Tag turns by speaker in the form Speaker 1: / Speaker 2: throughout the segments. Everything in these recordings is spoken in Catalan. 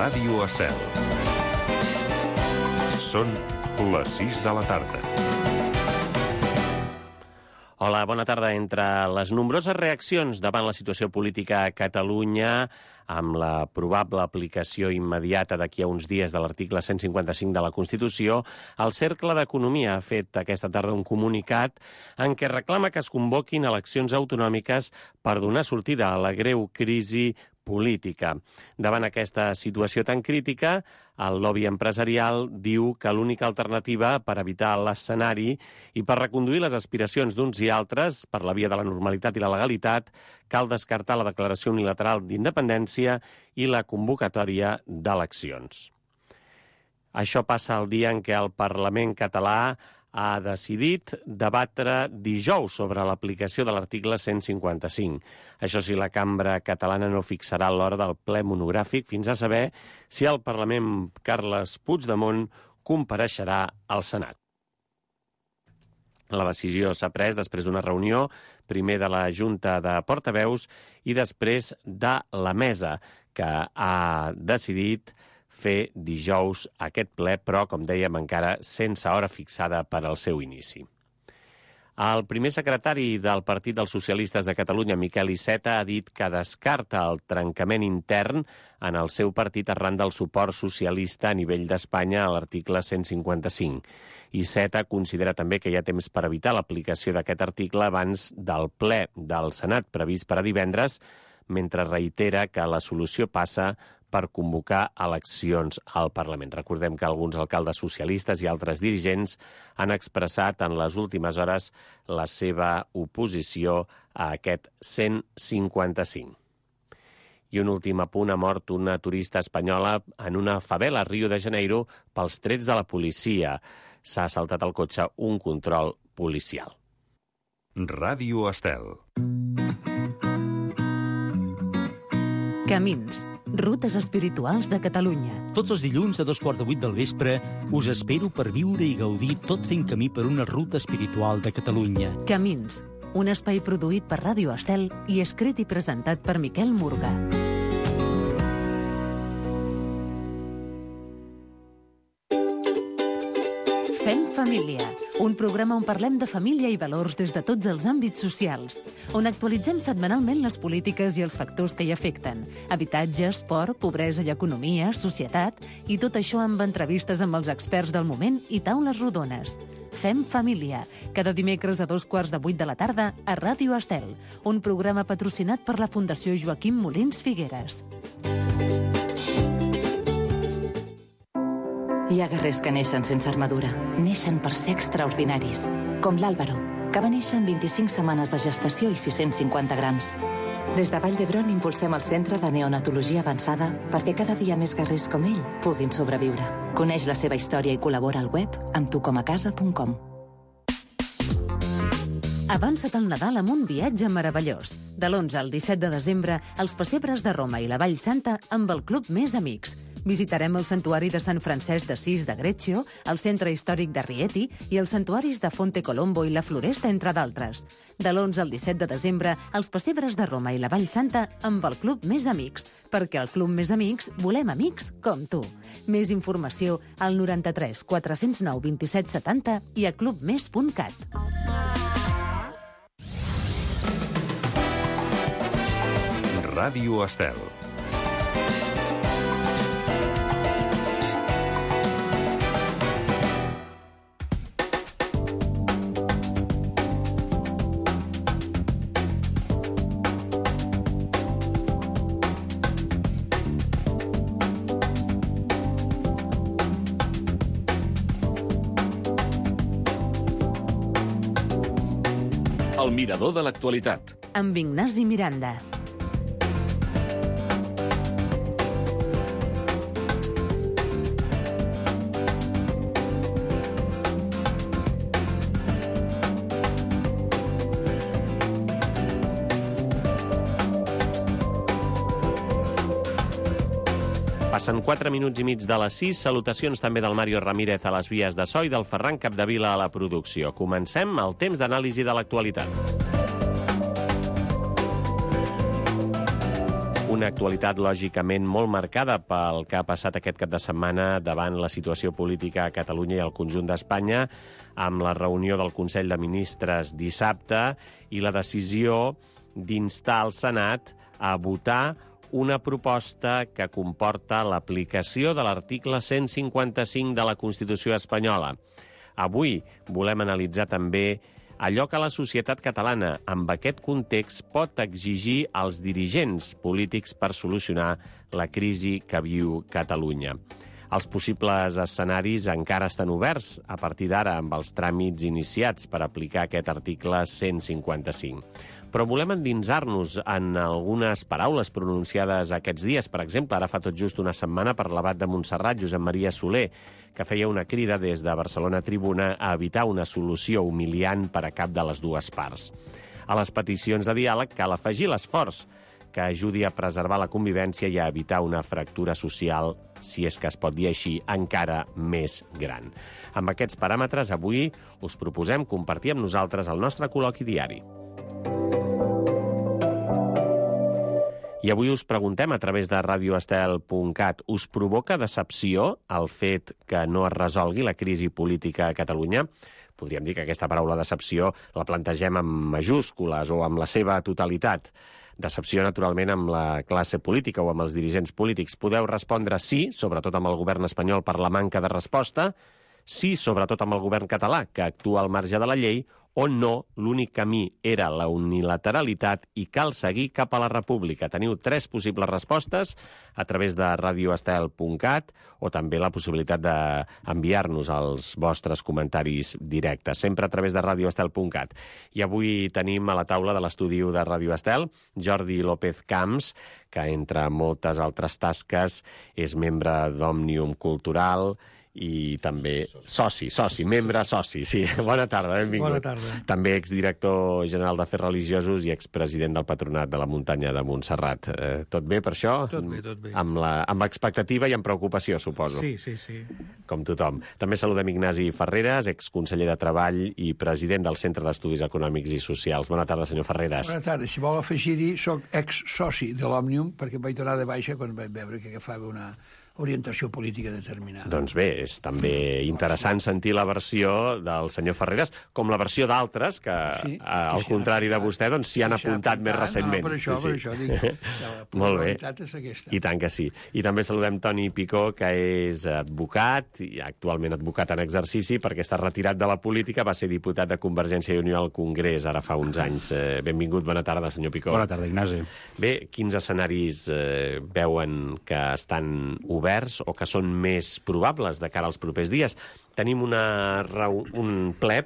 Speaker 1: Ràdio Estel. Són les 6 de la tarda.
Speaker 2: Hola, bona tarda. Entre les nombroses reaccions davant la situació política a Catalunya, amb la probable aplicació immediata d'aquí a uns dies de l'article 155 de la Constitució, el Cercle d'Economia ha fet aquesta tarda un comunicat en què reclama que es convoquin eleccions autonòmiques per donar sortida a la greu crisi política. Davant aquesta situació tan crítica, el lobby empresarial diu que l'única alternativa per evitar l'escenari i per reconduir les aspiracions d'uns i altres per la via de la normalitat i la legalitat, cal descartar la declaració unilateral d'independència i la convocatòria d'eleccions. Això passa el dia en què el Parlament català ha decidit debatre dijous sobre l'aplicació de l'article 155. Això sí, la cambra catalana no fixarà l'hora del ple monogràfic fins a saber si el Parlament Carles Puigdemont compareixerà al Senat. La decisió s'ha pres després d'una reunió, primer de la Junta de Portaveus i després de la Mesa, que ha decidit fer dijous aquest ple, però, com dèiem, encara sense hora fixada per al seu inici. El primer secretari del Partit dels Socialistes de Catalunya, Miquel Iceta, ha dit que descarta el trencament intern en el seu partit arran del suport socialista a nivell d'Espanya a l'article 155. Iceta considera també que hi ha temps per evitar l'aplicació d'aquest article abans del ple del Senat previst per a divendres, mentre reitera que la solució passa per convocar eleccions al Parlament. Recordem que alguns alcaldes socialistes i altres dirigents han expressat en les últimes hores la seva oposició a aquest 155. I un últim apunt: ha mort una turista espanyola en una favela a Rio de Janeiro pels trets de la policia. S'ha saltat al cotxe un control policial.
Speaker 1: Ràdio Estel.
Speaker 3: Camins, rutes espirituals de Catalunya.
Speaker 4: Tots els dilluns a 7:15 del vespre us espero per viure i gaudir tot fent camí per una ruta espiritual de Catalunya.
Speaker 3: Camins, un espai produït per Ràdio Estel i escrit i presentat per Miquel Murga. Fem família, un programa on parlem de família i valors des de tots els àmbits socials, on actualitzem setmanalment les polítiques i els factors que hi afecten: habitatge, esport, pobresa i economia, societat, i tot això amb entrevistes amb els experts del moment i taules rodones. Fem família, cada dimecres a 7:15 de la tarda a Ràdio Estel, un programa patrocinat per la Fundació Joaquim Molins Figueres.
Speaker 5: Hi ha guerrers que neixen sense armadura. Neixen per ser extraordinaris. Com l'Àlvaro, que va néixer en 25 setmanes de gestació i 650 grams. Des de Vall d'Hebron impulsem el Centre de Neonatologia Avançada perquè cada dia més guerrers com ell puguin sobreviure. Coneix la seva història i col·labora al web amb tucomacasa.com.
Speaker 3: Avança't al Nadal amb un viatge meravellós. De l'11 al 17 de desembre, els pessebres de Roma i la Vall Santa amb el Club Més Amics. Visitarem el Santuari de Sant Francesc d'Assís de Greccio, el Centre Històric de Rieti i els santuaris de Fonte Colombo i la Floresta, entre d'altres. De l'11 al 17 de desembre, els pessebres de Roma i la Vall Santa amb el Club Més Amics, perquè al Club Més Amics volem amics com tu. Més informació al 93 409 27 70 i a clubmes.cat.
Speaker 1: Ràdio Estel.
Speaker 6: El mirador de l'actualitat.
Speaker 3: Amb Ignasi Miranda.
Speaker 2: Passen 4 minuts i mig de les 6. Salutacions també del Mario Ramírez a les vies de so i del Ferran Capdevila a la producció. Comencem el temps d'anàlisi de l'actualitat. Una actualitat, lògicament, molt marcada pel que ha passat aquest cap de setmana davant la situació política a Catalunya i al conjunt d'Espanya, amb la reunió del Consell de Ministres dissabte i la decisió d'instar el Senat a votar una proposta que comporta l'aplicació de l'article 155 de la Constitució espanyola. Avui volem analitzar també allò que la societat catalana, amb aquest context, pot exigir als dirigents polítics per solucionar la crisi que viu Catalunya. Els possibles escenaris encara estan oberts a partir d'ara amb els tràmits iniciats per aplicar aquest article 155. Però volem endinsar-nos en algunes paraules pronunciades aquests dies. Per exemple, ara fa tot just una setmana per l'abat de Montserrat, Josep Maria Soler, que feia una crida des de Barcelona Tribuna a evitar una solució humiliant per a cap de les dues parts. A les peticions de diàleg cal afegir l'esforç que ajudi a preservar la convivència i a evitar una fractura social, si és que es pot dir així, encara més gran. Amb aquests paràmetres, avui us proposem compartir amb nosaltres el nostre col·loqui diari. I avui us preguntem a través de radioestel.cat, us provoca decepció el fet que no es resolgui la crisi política a Catalunya? Podríem dir que aquesta paraula decepció la plantegem amb majúscules o amb la seva totalitat. Decepció, naturalment, amb la classe política o amb els dirigents polítics. Podeu respondre sí, sobretot amb el govern espanyol per la manca de resposta, sí, sobretot amb el govern català, que actua al marge de la llei, o no, l'únic camí era la unilateralitat i cal seguir cap a la república. Teniu 3 possibles respostes a través de radioestel.cat o també la possibilitat d'enviar-nos els vostres comentaris directes, sempre a través de radioestel.cat. I avui tenim a la taula de l'estudi de Radio Estel Jordi López Camps, que entre moltes altres tasques és membre d'Òmnium Cultural i també soci, membre soci, sí. Bona tarda, benvingut.
Speaker 7: Bona tarda.
Speaker 2: També exdirector general d'Afers Religiosos i expresident del Patronat de la Muntanya de Montserrat. Tot bé per això?
Speaker 7: Tot bé, tot bé.
Speaker 2: Amb expectativa i amb preocupació, suposo.
Speaker 7: Sí.
Speaker 2: Com tothom. També saludem Ignasi Ferreres, exconseller de Treball i president del Centre d'Estudis Econòmics i Socials. Bona tarda, senyor Ferreres.
Speaker 7: Bona tarda. Si vol afegir-hi, soc ex-soci de l'Òmnium, perquè vaig donar de baixa quan vaig veure que agafava una orientació política determinada.
Speaker 2: Doncs bé, és també interessant sentir la versió del senyor Ferreres, com la versió d'altres, que al contrari de vostè, doncs s'hi han apuntat més recentment.
Speaker 7: No, per això dic, la probabilitat és aquesta.
Speaker 2: I tant que sí. I també saludem Toni Picó, que és advocat, i actualment advocat en exercici, perquè està retirat de la política, va ser diputat de Convergència i Unió al Congrés, ara fa uns anys. Benvingut, bona tarda, senyor Picó.
Speaker 4: Bona tarda, Ignasi.
Speaker 2: Bé, quins escenaris veuen que estan oberts o que són més probables de cara als propers dies? Tenim un ple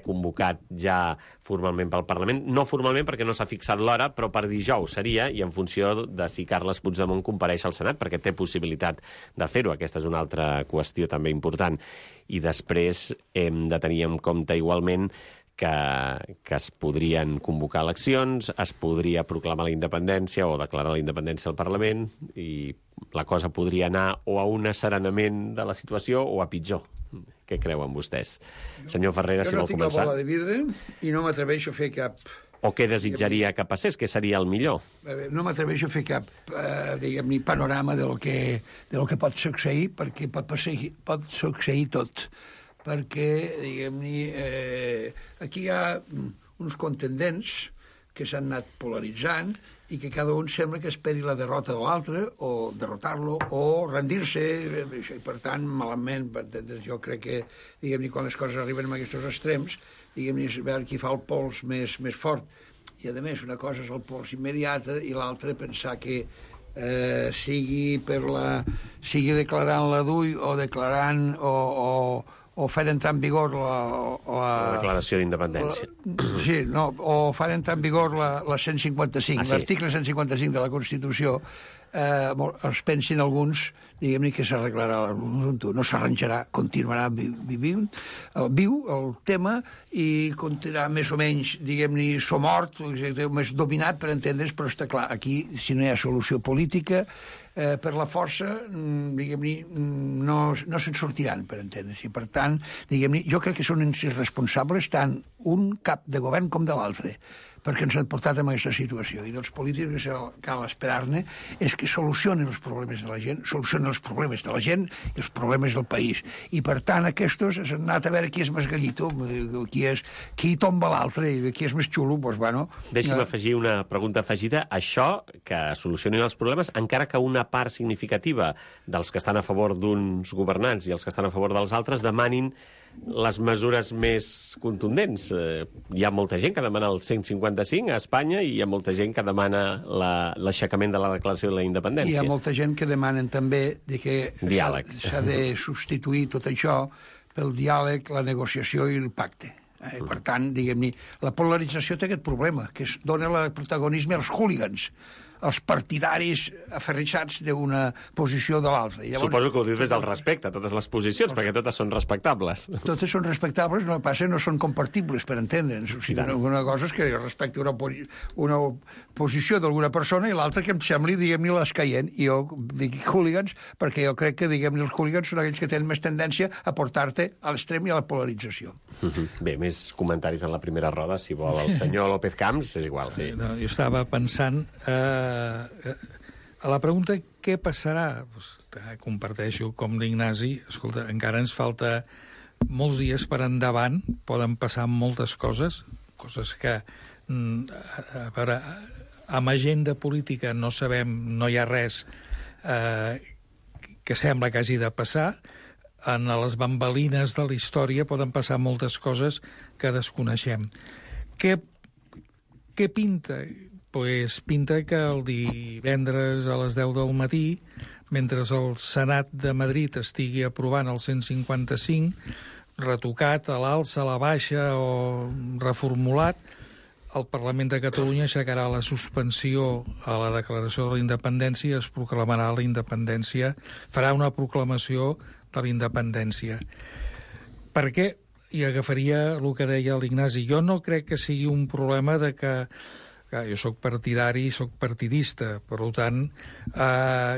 Speaker 2: convocat ja formalment pel Parlament. No formalment perquè no s'ha fixat l'hora, però per dijous seria, i en funció de si Carles Puigdemont compareix al Senat, perquè té possibilitat de fer-ho. Aquesta és una altra qüestió també important. I després hem de tenir en compte igualment que es podrien convocar eleccions, es podria proclamar la independència o declarar la independència al Parlament i la cosa podria anar o a un asserenament de la situació o a pitjor. Què creuen vostès? Senyor Ferreres, si vol començar.
Speaker 7: Jo no tinc la bola de vidre i no m'atreveixo a fer cap...
Speaker 2: O què desitjaria que passés? Què seria el millor?
Speaker 7: No m'atreveixo a fer cap, diguem-ne, panorama de lo que pot succeir, perquè pot succeir tot. Perquè, diguem-ne, aquí hi ha uns contendents que s'han anat polaritzant i que cada un sembla que esperi la derrota de l'altre o derrotar-lo o rendir-se, i per tant, malament, jo crec que, diguem-ne, quan les coses arriben a aquests extrems, diguem-ne, veure qui fa el pols més fort. I, a més, una cosa és el pols immediata i l'altra pensar que sigui declarant la DUI o declarant o fer entrar en vigor la
Speaker 2: declaració d'independència.
Speaker 7: Sí, no, o fer entrar en vigor la 155, l'article 155 de la Constitució, es pensin alguns, diguem-ne, que s'arreglarà l'assumpte. No s'arranjarà, continuarà viu el tema i continuarà més o menys, diguem-ne, somort, més dominat, per entendre's, però està clar, aquí, si no hi ha solució política, per la força, diguem-ne, no se'n sortiran, per entendre's. I, per tant, diguem-ne, jo crec que són irresponsables tant un cap de govern com de l'altre, perquè ens han portat en aquesta situació. I dels polítics que cal esperar-ne és que solucionen els problemes de la gent, solucionen els problemes de la gent i els problemes del país. I, per tant, aquests s'han anat a veure qui és més gallito, qui tomba l'altre i qui és més xulo, doncs, bueno...
Speaker 2: Deixi'm afegir una pregunta afegida. Això, que solucionin els problemes, encara que una part significativa dels que estan a favor d'uns governants i els que estan a favor dels altres demanin les mesures més contundents. Hi ha molta gent que demana el 155 a Espanya i hi ha molta gent que demana l'aixecament de la declaració de la independència.
Speaker 7: Hi ha molta gent que demanen també que s'ha de substituir tot això pel diàleg, la negociació i el pacte. Per tant, diguem-ne, la polarització té aquest problema, que es dona el protagonisme als hooligans, els partidaris aferrissats d'una posició de l'altra.
Speaker 2: Suposo que ho dius des del respecte, totes les posicions, perquè totes són respectables.
Speaker 7: Totes són respectables, no passa, no són compartibles, per entendre'ns. O sigui, una cosa és que respecte una posició d'alguna persona i l'altra que em sembli, diguem-ne, l'escaient. I jo dic hooligans perquè jo crec que, diguem-ne, els hooligans són aquells que tenen més tendència a portar-te a l'extrem i a la polarització.
Speaker 2: Bé, més comentaris en la primera roda, si vol el senyor López Camps, és igual, sí.
Speaker 8: No, jo estava pensant... a la pregunta què passarà, comparteixo com l'Ignasi, escolta, encara ens falta molts dies per endavant, poden passar moltes coses que, a veure, amb agenda política no sabem, no hi ha res que sembla que hagi de passar. En les bambalines de la història poden passar moltes coses que desconeixem. Què pinta? Pues pinta que el divendres a les 10 del matí, mentre el Senat de Madrid estigui aprovant el 155, retocat a l'alça, a la baixa o reformulat, el Parlament de Catalunya aixecarà la suspensió a la declaració de la independència i es proclamarà la independència, farà una proclamació de la independència. Per què? I agafaria el que deia l'Ignasi. Jo no crec que sigui un problema de que jo soc partidari, soc partidista, per tant,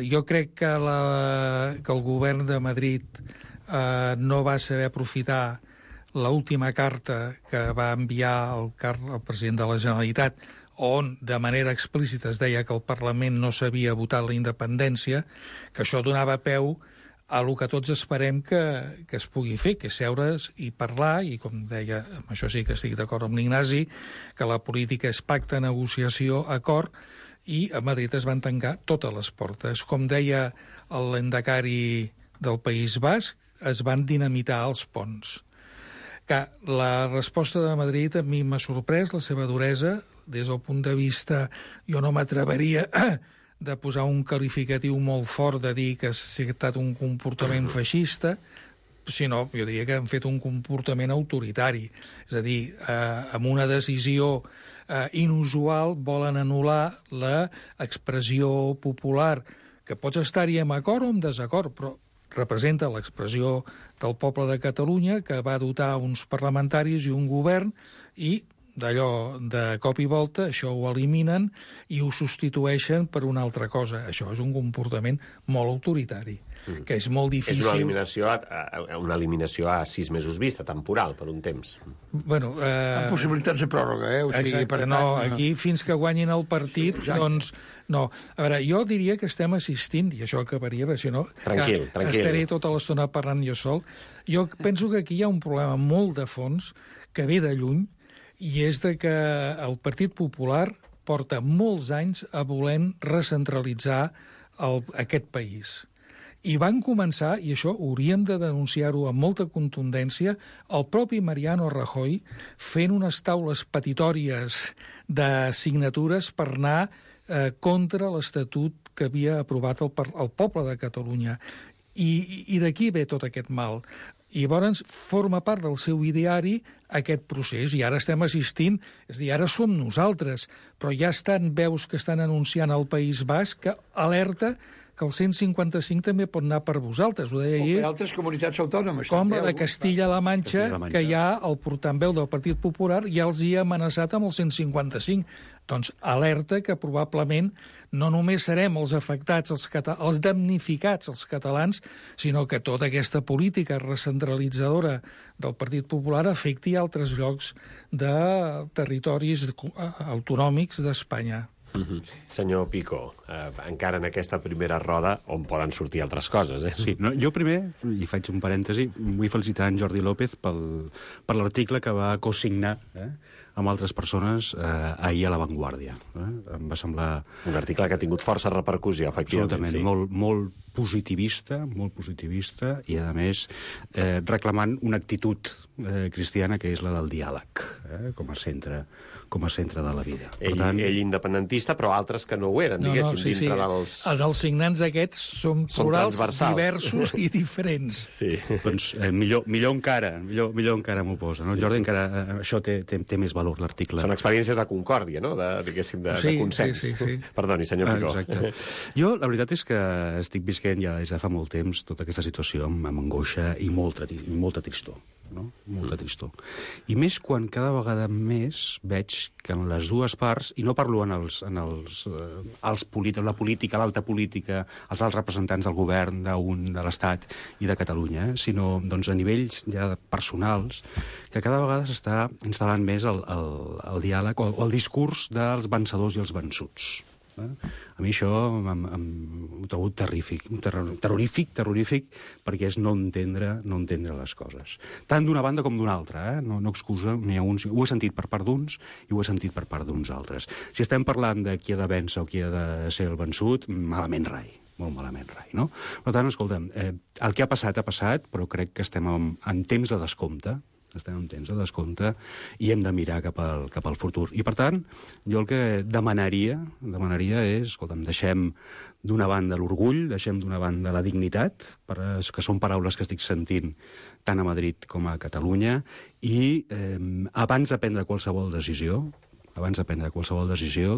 Speaker 8: jo crec que el govern de Madrid no va saber aprofitar l'última carta que va enviar el president de la Generalitat, on de manera explícita es deia que el Parlament no s'havia votat la independència, que això donava peu a el que tots esperem que es pugui fer, que és seure's i parlar, i com deia, amb això sí que estic d'acord amb l'Ignasi, que la política és pacte, negociació, acord, i a Madrid es van tancar totes les portes. Com deia l'endacari del País Basc, es van dinamitar els ponts. Que la resposta de Madrid a mi m'ha sorprès, la seva duresa, des del punt de vista, jo no m'atreveria de posar un qualificatiu molt fort de dir que ha estat un comportament feixista, sinó, jo diria que han fet un comportament autoritari. És a dir, amb una decisió inusual volen anul·lar l'expressió popular, que pots estar-hi en acord o en desacord, però representa l'expressió del poble de Catalunya, que va dotar uns parlamentaris i un govern, i d'allò, de cop i volta, això ho eliminen i ho substitueixen per una altra cosa. Això és un comportament molt autoritari, que és molt difícil...
Speaker 2: És una eliminació a 6 mesos vista, temporal, per un temps.
Speaker 7: Bueno, amb possibilitats de pròrroga, O sigui,
Speaker 8: exacte, aquí fins que guanyin el partit, doncs... No, a veure, jo diria que estem assistint, i això acabaria, si no...
Speaker 2: Tranquil.
Speaker 8: Estaré tota l'estona parlant jo sol. Jo penso que aquí hi ha un problema molt de fons que ve de lluny, i és de que el Partit Popular porta molts anys a volent recentralitzar aquest país. I van començar, i això hauríem de denunciar-ho amb molta contundència, el propi Mariano Rajoy fent unes taules petitòries de signatures per anar contra l'Estatut que havia aprovat el poble de Catalunya. I d'aquí ve tot aquest mal. I llavors forma part del seu ideari aquest procés, i ara estem assistint, és a dir, ara som nosaltres, però ja estan veus que estan anunciant al País Basc que alerta que el 155 també pot anar per vosaltres, ho deia ahir.
Speaker 7: O per altres comunitats autònomes.
Speaker 8: Com la de Castilla-La Manxa, que ja el portaveu del Partit Popular ja els hi ha amenaçat amb el 155. Doncs alerta que probablement no només serem els afectats, els damnificats, els catalans, sinó que tota aquesta política recentralitzadora del Partit Popular afecti altres llocs de territoris autonòmics d'Espanya.
Speaker 2: Senyor Pico, encara en aquesta primera roda on poden sortir altres coses, eh?
Speaker 9: Sí, no, jo primer, i faig un parèntesi, vull felicitar en Jordi López per l'article que va cosignar amb altres persones ahir a La Vanguardia. Em va semblar...
Speaker 2: Un article que ha tingut força repercussió, efectivament.
Speaker 9: Absolutament, molt positivista i, a més, reclamant una actitud cristiana que és la del diàleg, com a centre de la vida.
Speaker 2: Ell independentista, però altres que no ho eren, diguéssim, dintre dels...
Speaker 8: Els signants aquests són plurals, diversos i diferents.
Speaker 2: Sí.
Speaker 9: Doncs millor encara m'ho posa. No? Jordi, encara això té més valor, l'article.
Speaker 2: Són experiències de concòrdia, no? Diguéssim, de consens.
Speaker 8: Sí.
Speaker 2: Perdoni, senyor Picó.
Speaker 9: Exacte. Jo, la veritat és que estic visquent ja fa molt temps tota aquesta situació amb angoixa i molta tristor. No? Molta tristor. I més quan cada vegada més veig que en les dues parts, i no parlo la política, l'alta política, els alts representants del govern, de l'Estat i de Catalunya, sinó doncs, a nivells ja personals, que cada vegada s'està instal·lant més el diàleg o el discurs dels vencedors i els vençuts. A mi això m'ho trobo terrorífic, perquè és no entendre les coses. Tant d'una banda com d'una altra, no excusa, n'hi ha uns... Ho he sentit per part d'uns i ho he sentit per part d'uns altres. Si estem parlant de qui ha de vèncer o qui ha de ser el vençut, malament rai. Molt malament rai, no? Per tant, escolta'm, el que ha passat, però crec que estem en temps de descompte, i hem de mirar cap al futur. I, per tant, jo el que demanaria és, escolta'm, deixem d'una banda l'orgull, deixem d'una banda la dignitat, que són paraules que estic sentint tant a Madrid com a Catalunya, i abans de prendre qualsevol decisió,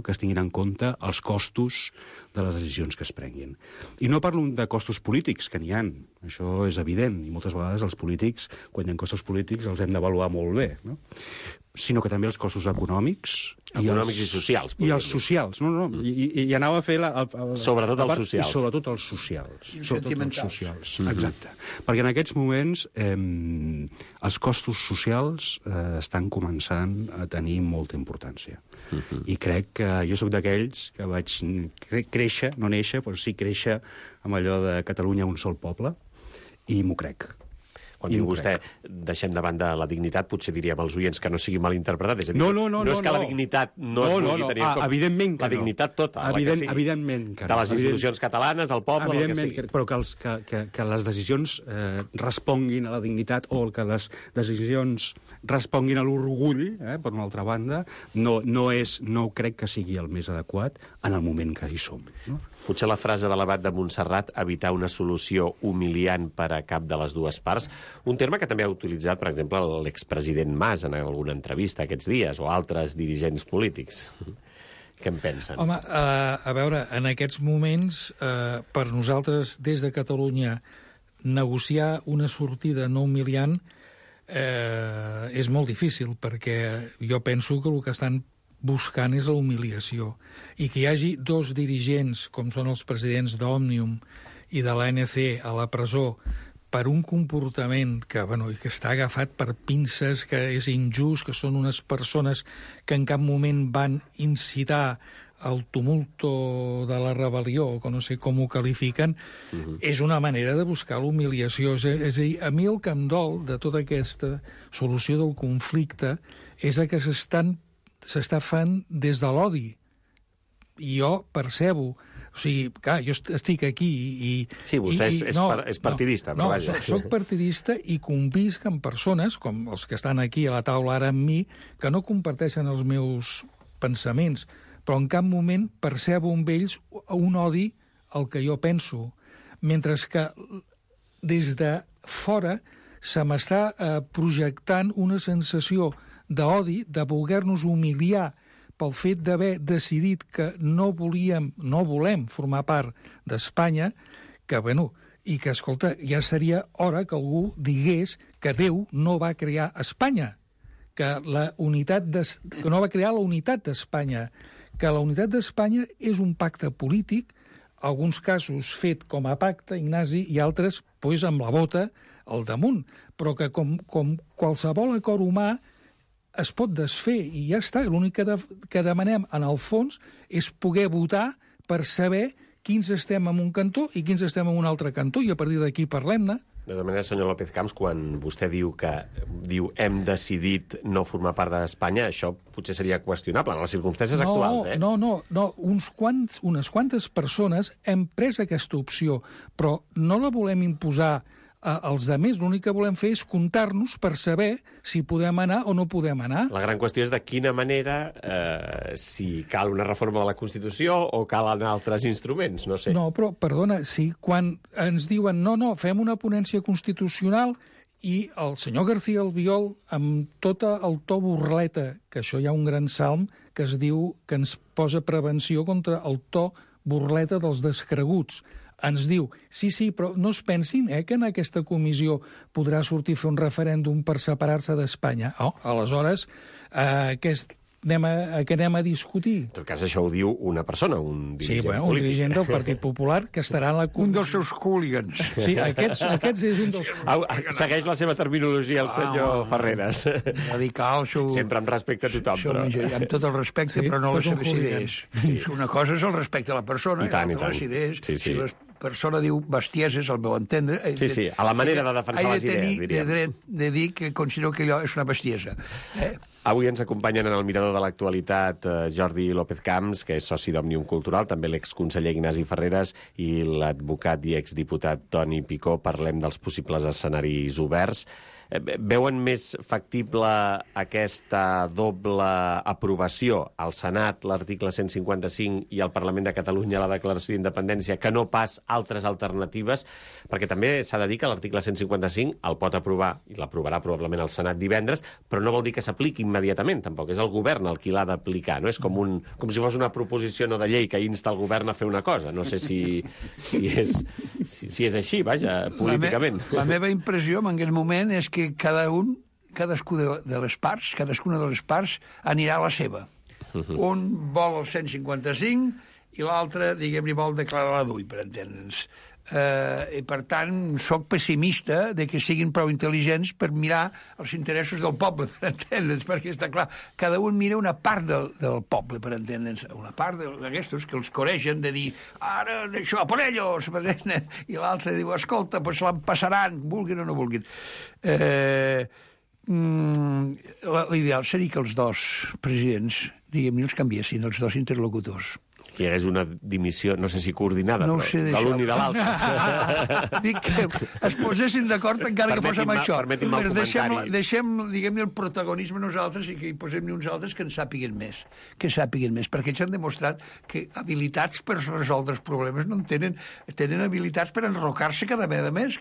Speaker 9: que es tinguin en compte els costos de les decisions que es prenguin. I no parlo de costos polítics, que n'hi ha, això és evident, i moltes vegades els polítics, quan hi ha costos polítics, els hem d'avaluar molt bé, no? Sinó que també els costos econòmics...
Speaker 2: i socials.
Speaker 9: I els socials, i anava a fer...
Speaker 2: Sobretot els socials.
Speaker 9: I sobretot els socials.
Speaker 7: I sentimentals.
Speaker 9: Exacte. Perquè en aquests moments els costos socials estan començant a tenir molta importància. I crec que jo sóc d'aquells que vaig créixer, no néixer, però sí créixer amb allò de Catalunya un sol poble, i m'ho crec.
Speaker 2: Quan diu vostè, deixem de banda la dignitat, potser diríem als oients que no sigui mal interpretat. És a dir,
Speaker 9: no
Speaker 2: és que la dignitat no es vulgui tenir en compte.
Speaker 9: Evidentment que
Speaker 2: la dignitat tota,
Speaker 9: evidentment que no.
Speaker 2: De les institucions catalanes, del poble, del que sigui.
Speaker 9: Però que les decisions responguin a la dignitat o que les decisions responguin a l'orgull, per una altra banda, no crec que sigui el més adequat en el moment que hi som. No?
Speaker 2: Potser la frase de l'abat de Montserrat, evitar una solució humiliant per a cap de les dues parts, un terme que també ha utilitzat, per exemple, l'expresident Mas en alguna entrevista aquests dies, o altres dirigents polítics. Què en pensen?
Speaker 8: Home, a veure, en aquests moments, per nosaltres, des de Catalunya, negociar una sortida no humiliant és molt difícil, perquè jo penso que el que estan buscant és la humiliació. I que hi hagi dos dirigents, com són els presidents d'Òmnium i de l'ANC, a la presó per un comportament que està agafat per pinces, que és injust, que són unes persones que en cap moment van incitar el tumulto de la rebel·lió, que no sé com ho qualifiquen, és una manera de buscar l'humiliació. És a dir, a mi el que em dol de tota aquesta solució del conflicte és que s'està fent des de l'odi. I jo percebo... O sigui, clar, jo estic aquí i...
Speaker 2: Sí, vostè és partidista, però vaja.
Speaker 8: Soc partidista i convisc amb persones, com els que estan aquí a la taula ara amb mi, que no comparteixen els meus pensaments, però en cap moment percebo en ells un odi al que jo penso. Mentre que des de fora se m'està projectant una sensació d'odi, de voler-nos humiliar pel fet d'haver decidit que no volem formar part d'Espanya, i que, escolta, ja seria hora que algú digués que Déu no va crear Espanya, que no va crear la unitat d'Espanya, que la unitat d'Espanya és un pacte polític, alguns casos fet com a pacte, Ignasi, i altres pues, amb la bota al damunt, però que com qualsevol acord humà es pot desfer i ja està. L'únic que demanem, en el fons, és poder votar per saber quins estem en un cantó i quins estem en un altre cantó, i a partir d'aquí parlem-ne.
Speaker 2: De tota manera, senyor López Camps, quan vostè diu hem decidit no formar part d'Espanya, això potser seria qüestionable en les circumstàncies actuals, eh?
Speaker 8: No. Unes quantes persones hem pres aquesta opció, però no la volem imposar als altres. L'únic que volem fer és comptar-nos per saber si podem anar o no podem anar.
Speaker 2: La gran qüestió és de quina manera, si cal una reforma de la Constitució o calen altres instruments, no sé.
Speaker 8: No, però, perdona, si quan ens diuen no, fem una ponència constitucional i el senyor García Albiol, amb tot el to burleta, que això hi ha un gran salm que es diu que ens posa prevenció contra el to burleta dels descreguts, ens diu, sí, però no es pensin que en aquesta comissió podrà sortir a fer un referèndum per separar-se d'Espanya. Aleshores, què anem a discutir?
Speaker 2: En tot cas, això ho diu una persona, un dirigent polític.
Speaker 8: Un dirigent del Partit Popular que estarà en la comissió.
Speaker 7: Un dels seus hooligans.
Speaker 8: Sí, aquests és un dels...
Speaker 2: Segueix la seva terminologia el senyor Ferreres.
Speaker 7: Radical,
Speaker 2: sempre amb respecte a tothom.
Speaker 7: Però... Amb tot el respecte, però no les seves idees. Una cosa és el respecte a la persona i l'altra les idees. Si la persona diu bestieses, al meu entendre...
Speaker 2: Sí, a la manera de defensar les idees, diríem.
Speaker 7: He de tenir dret de dir que considero que allò és una bestiesa.
Speaker 2: Avui ens acompanyen en el Mirador de l'Actualitat Jordi López Camps, que és soci d'Òmnium Cultural, també l'exconseller Ignasi Ferreres i l'advocat i exdiputat Toni Picó. Parlem dels possibles escenaris oberts. Veuen més factible aquesta doble aprovació al Senat, l'article 155, i al Parlament de Catalunya la declaració d'independència, que no pas altres alternatives? Perquè també s'ha de dir que l'article 155 el pot aprovar, i l'aprovarà probablement el Senat divendres, però no vol dir que s'apliqui immediatament, tampoc. És el govern el qui l'ha d'aplicar, no? És com si fos una proposició no de llei que insta el govern a fer una cosa. No sé si és així, vaja, políticament.
Speaker 7: La meva impressió en aquest moment és que cadascuna de les parts anirà a la seva. Un vol el 155 i l'altre, diguem-ne, vol declarar la d'ull, per entendre'ns. I per tant sóc pessimista de que siguin prou intel·ligents per mirar els interessos del poble, per entendre'ns, perquè està clar, cada un mira una part del poble, per entendre'ns, una part d'aquestos que els coregen de dir ara d'això, por ellos, i l'altre diu, escolta, pues se'l passaran, vulguin o no vulguin. L'ideal seria que els dos presidents, diguem-ne, els canviessin, els dos interlocutors.
Speaker 2: Que hi hagués una dimissió, no sé si coordinada,
Speaker 7: no
Speaker 2: però de l'un i de l'altre.
Speaker 7: Dic que es posessin d'acord encara que fos amb això.
Speaker 2: Permetin-me el comentari.
Speaker 7: Deixem, diguem-ne, el protagonisme nosaltres i que hi posem uns altres que en sàpiguen més. Perquè ells han demostrat que habilitats per resoldre els problemes no en tenen. Tenen habilitats per enrocar-se cada vegada més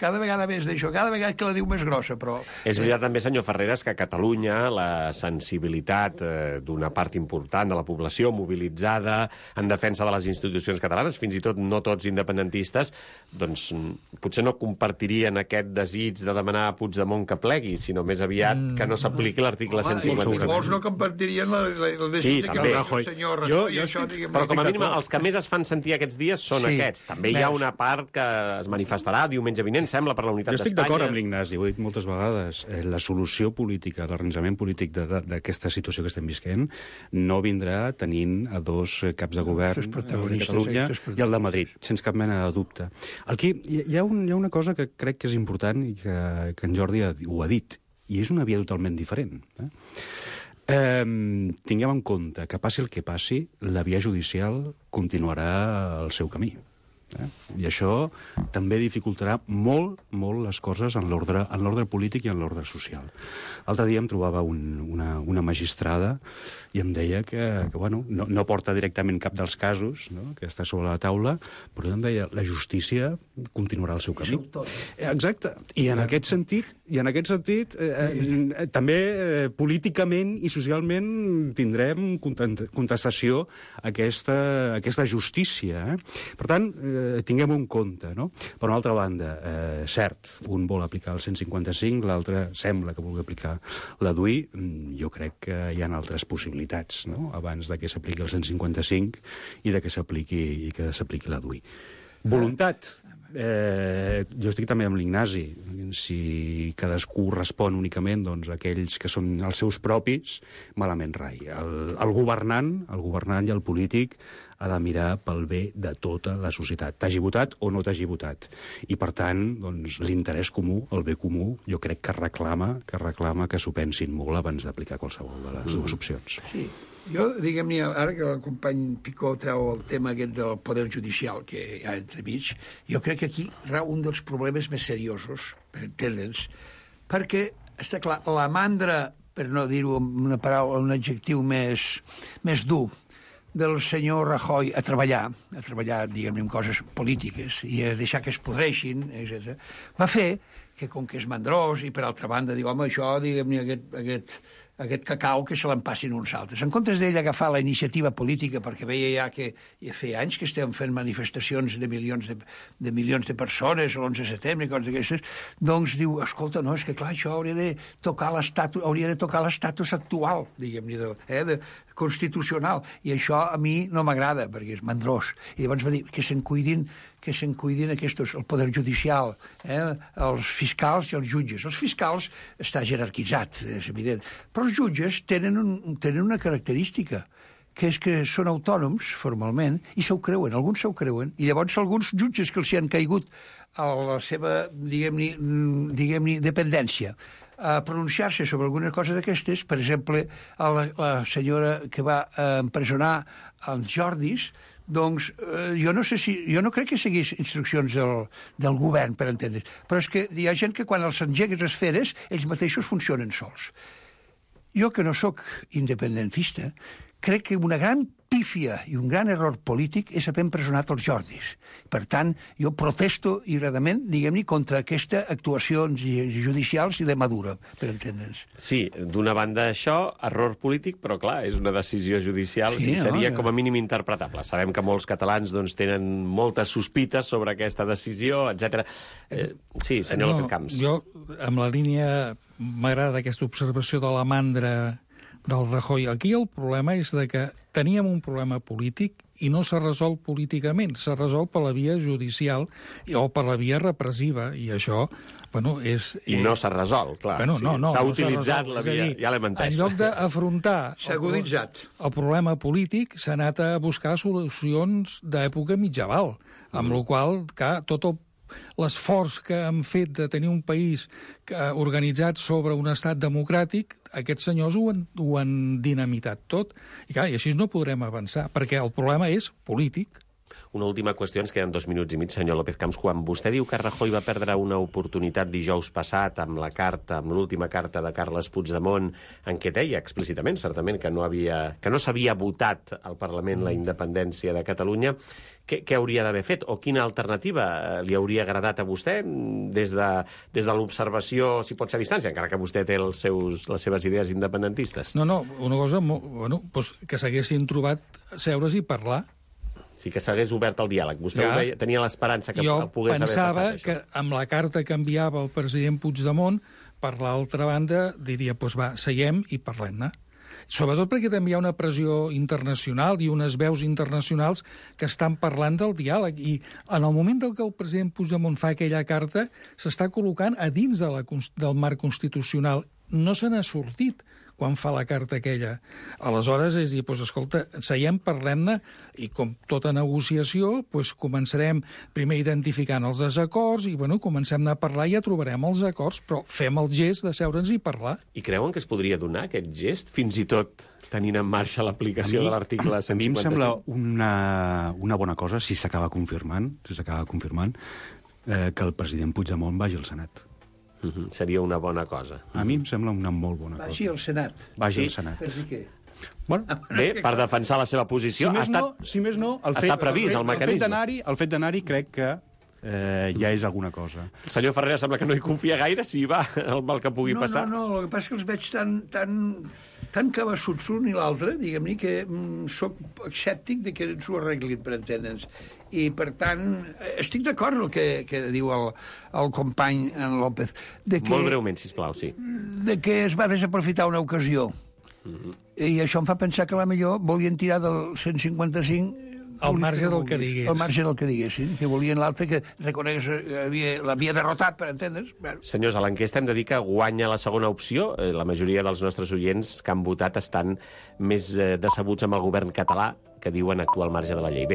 Speaker 7: d'això, cada vegada que la diu més grossa, però...
Speaker 2: És veritat també, senyor Ferreres, que a Catalunya la sensibilitat d'una part important de la població mobilitzada en defensa de les institucions catalanes, fins i tot no tots independentistes, doncs potser no compartirien aquest desig de demanar a Puigdemont que plegui, sinó més aviat que no s'apliqui l'article 155.
Speaker 7: Molts no compartirien el desig que el senyor Rajoy...
Speaker 2: Però com a mínim els que més es fan sentir aquests dies són aquests. També hi ha una part que es manifestarà diumenge vinent, sembla, per la unitat d'Espanya.
Speaker 9: Jo estic d'acord amb l'Ignasi, ho he dit moltes vegades. La solució política, l'arranjament polític d'aquesta situació que estem visquent no vindrà tenint a dos caps de govern, el de Catalunya i el de Madrid, sense cap mena de dubte. Aquí hi ha una cosa que crec que és important i que en Jordi ho ha dit, i és una via totalment diferent. Tinguem en compte que passi el que passi, la via judicial continuarà el seu camí. I això també dificultarà molt les coses en l'ordre polític i en l'ordre social. L'altre dia em trobava una magistrada i em deia que no porta directament cap dels casos, no?, que està sobre la taula, però em deia la justícia continuarà el seu camí. Exacte. I en aquest sentit també políticament i socialment tindrem contestació a aquesta justícia. Per tant, tinguem un compte, no? Per una altra banda, cert, un vol aplicar el 155, l'altre sembla que vulgui aplicar la DUI. Jo crec que hi ha altres possibilitats, no?, abans de que s'apliqui el 155 i de que s'apliqui la DUI. Voluntat. Jo estic també amb l'Ignasi. Si cadascú respon únicament a aquells que són els seus propis, malament rai. El governant i el polític ha de mirar pel bé de tota la societat, t'hagi votat o no t'hagi votat. I, per tant, l'interès comú, el bé comú, jo crec que reclama que s'ho pensin molt abans d'aplicar qualsevol de les dues opcions.
Speaker 7: Sí. Jo, diguem-ne, ara que el company Picó treu el tema aquest del poder judicial que hi ha entremig, jo crec que aquí rau un dels problemes més seriosos, per entendre'ns, perquè, està clar, la mandra, per no dir-ho amb una paraula, un adjectiu més dur, del senyor Rajoy a treballar, diguem-ne, en coses polítiques i a deixar que es podreixin, etc., va fer que, com que és mandrós i, per altra banda, diu, home, això, diguem-ne, aquest cacau que se l'empassin uns altres. En comptes d'ell agafar la iniciativa política, perquè veia ja que ja feia anys que estem fent manifestacions de milions de persones a l'11 de setembre i coses d'aquestes, doncs diu, escolta, no, és que clar, això hauria de tocar l'estatus actual, diguem-ne, constitucional, i això a mi no m'agrada, perquè és mandrós. I llavors va dir que se'n cuidin aquests, el poder judicial, els fiscals i els jutges. Els fiscals està jerarquitzat, és evident, però els jutges tenen una característica, que és que són autònoms, formalment, i s'ho creuen, alguns s'ho creuen, i llavors alguns jutges que els hi han caigut a la seva, diguem-ne, dependència, a pronunciar-se sobre alguna cosa d'aquestes, per exemple, la senyora que va empresonar els Jordis, doncs jo no crec que seguís instruccions del govern, per entendre's, però és que hi ha gent que quan els engegues les feres, ells mateixos funcionen sols. Jo, que no sóc independentista, crec que una gran pífia i un gran error polític és haver empresonat els Jordis. Per tant, jo protesto iradament, diguem-ne, contra aquestes actuacions judicials i de Maduro, per entendre'ns.
Speaker 2: Sí, d'una banda això, error polític, però clar, és una decisió judicial, sí, seria com a mínim interpretable. Sabem que molts catalans tenen moltes sospites sobre aquesta decisió, etc. Sí, senyor López Camps.
Speaker 8: Jo, amb la línia, m'agrada aquesta observació de la mandra del Rajoy. Aquí el problema és que teníem un problema polític i no s'ha resolt políticament, s'ha resolt per la via judicial o per la via repressiva, i això, és...
Speaker 2: I no s'ha resolt, clar. S'ha utilitzat la via, ja l'hem entès.
Speaker 8: En lloc d'afrontar el problema polític, s'ha anat a buscar solucions d'època mitjaval, amb la qual cosa, tot l'esforç que han fet de tenir un país organitzat sobre un estat democràtic, aquests senyors ho han dinamitat tot. I clar, i així no podrem avançar, perquè el problema és polític.
Speaker 2: Una última qüestió, ens queden 2 minuts i mig, senyor López Camps. Quan vostè diu que Rajoy va perdre una oportunitat dijous passat amb l'última carta de Carles Puigdemont, en què deia explícitament, certament, que no s'havia votat al Parlament la independència de Catalunya, què hauria d'haver fet? O quina alternativa li hauria agradat a vostè des de l'observació, si pot ser a distància, encara que vostè té les seves idees independentistes?
Speaker 8: No, una cosa, que s'haguessin trobat seure's i parlar.
Speaker 2: Sí, que s'hagués obert el diàleg. Vostè tenia l'esperança que pogués haver passat això.
Speaker 8: Jo pensava que amb la carta que enviava el president Puigdemont, per l'altra banda, diria, seiem i parlem-ne. Sobretot perquè també hi ha una pressió internacional i unes veus internacionals que estan parlant del diàleg. I en el moment que el president Puigdemont fa aquella carta, s'està col·locant a dins del marc constitucional. No se n'ha sortit quan fa la carta aquella. Aleshores, és dir, escolta, seiem, parlem-ne, i com tota negociació, començarem primer identificant els desacords i, comencem a parlar i ja trobarem els acords, però fem el gest de seure'ns i parlar.
Speaker 2: I creuen que es podria donar aquest gest, fins i tot tenint en marxa l'aplicació de l'article 155?
Speaker 9: A mi em sembla una bona cosa, si s'acaba confirmant, que el president Puigdemont vagi al Senat.
Speaker 2: Seria una bona cosa.
Speaker 9: A mi em sembla una molt bona cosa.
Speaker 7: Vagi al Senat.
Speaker 9: Vagi al Senat.
Speaker 7: Per dir què?
Speaker 2: Bé, per defensar la seva posició,
Speaker 9: si més no,
Speaker 2: està previst el mecanisme.
Speaker 9: El fet d'anar-hi crec que ja és alguna cosa.
Speaker 2: El senyor Ferrer sembla que no hi confia gaire, si va el mal que pugui passar.
Speaker 7: No, el que passa és que els veig tan tan cabassuts l'un i l'altre, diguem-ne, que sóc escèptic de que ens ho arreglin, per entendre'ns. I, per tant, estic d'acord amb el que diu el company en López.
Speaker 2: Molt breument, sisplau, sí.
Speaker 7: De que es va desaprofitar una ocasió. I això em fa pensar que millor volien tirar del 155...
Speaker 8: Al marge del que digués.
Speaker 7: Al marge del que diguessin, que volien l'altre que reconegués l'havia derrotat, per entendre's. Bueno.
Speaker 2: Senyors, a l'enquesta hem de dir que guanya la segona opció. La majoria dels nostres oients que han votat estan més decebuts amb el govern català, que diuen actuar al marge de la llei. Bé,